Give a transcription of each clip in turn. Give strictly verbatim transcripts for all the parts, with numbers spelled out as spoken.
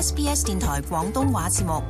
S B S 電台廣東話節目。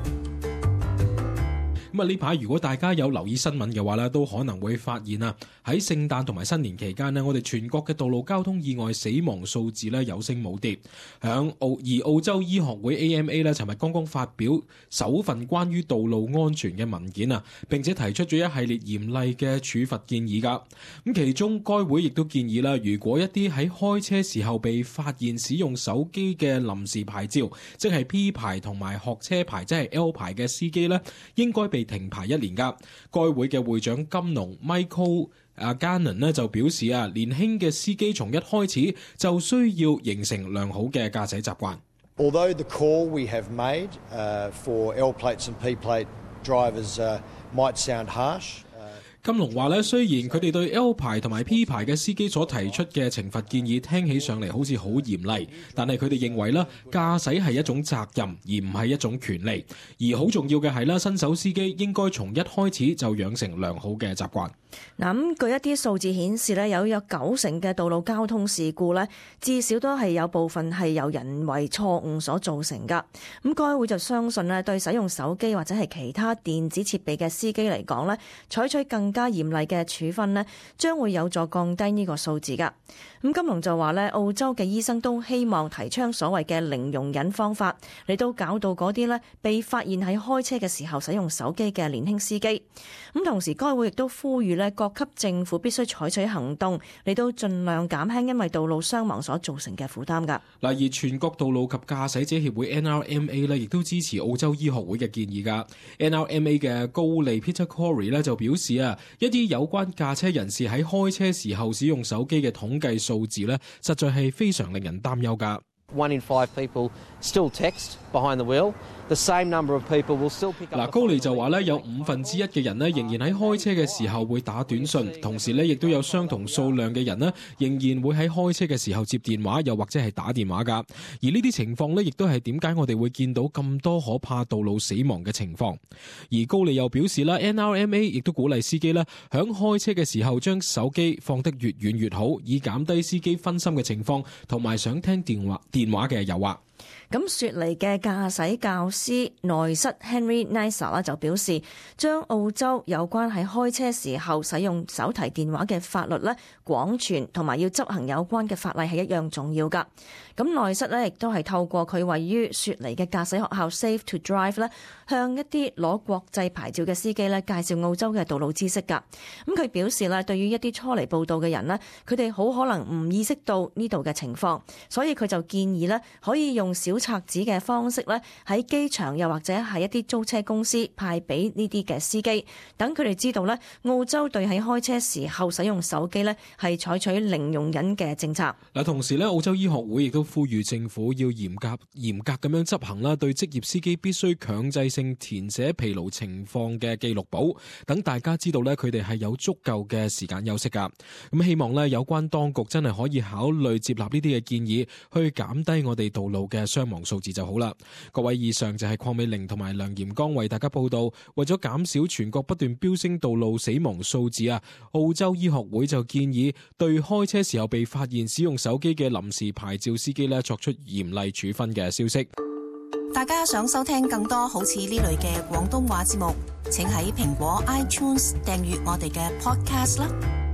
咁啊，呢排如果大家有留意新聞嘅話咧，都可能會發現啊，喺聖誕同埋新年期間咧，我哋全國嘅道路交通意外死亡數字咧有升冇跌。響澳而澳洲醫學會 A M A 咧，尋日剛剛發表首份關於道路安全嘅文件啊，並且提出咗一系列嚴厲嘅處罰建議㗎。咁其中該會亦都建議啦，如果一啲喺開車時候被發現使用手機嘅臨時牌照，即係 P 牌同埋學車牌，即係 L 牌嘅司機咧，應該被停牌一年噶。該會嘅會長金龍 Michael 阿 Gannon 咧就表示啊，年輕嘅司機從一開始就需要形成良好嘅駕駛習慣。Although the call we have made uh, for L plates and P plate drivers uh, might sound harsh。金龍話咧，雖然佢哋對 L 牌同埋 P 牌嘅司機所提出嘅懲罰建議聽起上嚟好似好嚴厲，但係佢哋認為咧，駕駛係一種責任，而唔係一種權利。而好重要嘅係咧，新手司機應該從一開始就養成良好嘅習慣。嗱，咁據一啲數字顯示咧，有有九成嘅道路交通事故咧，至少都係有部分係由人為錯誤所造成噶。咁該會就相信咧，對使用手機或者係其他電子設備嘅司機嚟講咧，採取更加嚴厲嘅處分咧，將會有助降低呢個數字噶。咁金龍就話咧，澳洲嘅醫生都希望提倡所謂嘅零容忍方法，嚟到教導嗰啲咧被發現喺開車嘅時候使用手機嘅年輕司機。咁同時，該會亦都呼籲咧，各級政府必須採取行動，嚟到盡量減輕因為道路傷亡所造成嘅負擔㗎。嗱，而全國道路及駕駛者協會 N R M A 咧，亦都支持澳洲醫學會嘅建議㗎。N R M A 嘅高利 Peter Corey 咧就表示啊，一啲有關駕車人士喺開車時候使用手機嘅統計數字咧，實在係非常令人擔憂㗎。One in five people still text behind the wheel. The same number of people will still pick up. 嗱，高利就話咧，有五分之一嘅人咧，仍然喺開車嘅時候會打短信，同時咧，亦都有相同數量嘅人咧，仍然會喺開車嘅時候接電話，又或者係打電話㗎。而呢啲情況咧，亦都係點解我哋會見到咁多可怕道路死亡嘅情況。而高利又表示啦 ，N R M A 亦都鼓勵司機咧，響開車嘅時候將手機放得越遠越好，以減低司機分心嘅情況，同埋想聽電話電話嘅誘惑。咁雪梨嘅駕駛教師內瑟 Henry Nisa 啦就表示，將澳洲有關喺開車時候使用手提電話嘅法律咧廣傳，同埋要執行有關嘅法例係一樣重要噶。咁內瑟咧亦都係透過佢位於雪梨嘅駕駛學校 Safe to Drive 咧，向一啲攞國際牌照嘅司機咧介紹澳洲嘅道路知識噶。咁佢表示咧，對於一啲初嚟報道嘅人咧，佢哋好可能唔意識到呢度嘅情況，所以佢就建議咧可以用小冊子嘅方式咧，喺機場又或者係一啲租車公司派俾呢啲嘅司機，等佢哋知道咧，澳洲對喺開車時候使用手機咧係採取零容忍嘅政策。嗱，同時咧，澳洲醫學會亦都呼籲政府要嚴格嚴格咁樣執行啦，對職業司機必須強制性填寫疲勞情況嘅記錄簿，等大家知道咧，佢哋係有足夠嘅時間休息噶。咁希望咧，有關當局真係可以考慮接納呢啲嘅建議，去減低我哋道路嘅傷亡數字就好啦。各位，以上就係鄺美玲同埋梁炎剛為大家報道。為咗減少全國不斷飆升道路死亡數字啊，澳洲醫學會就建議對開車時候被發現使用手機嘅臨時牌照司機咧作出嚴厲處分嘅消息。大家想收聽更多好似呢類嘅廣東話節目，請喺蘋果 iTunes 訂閱我哋嘅 podcast 啦。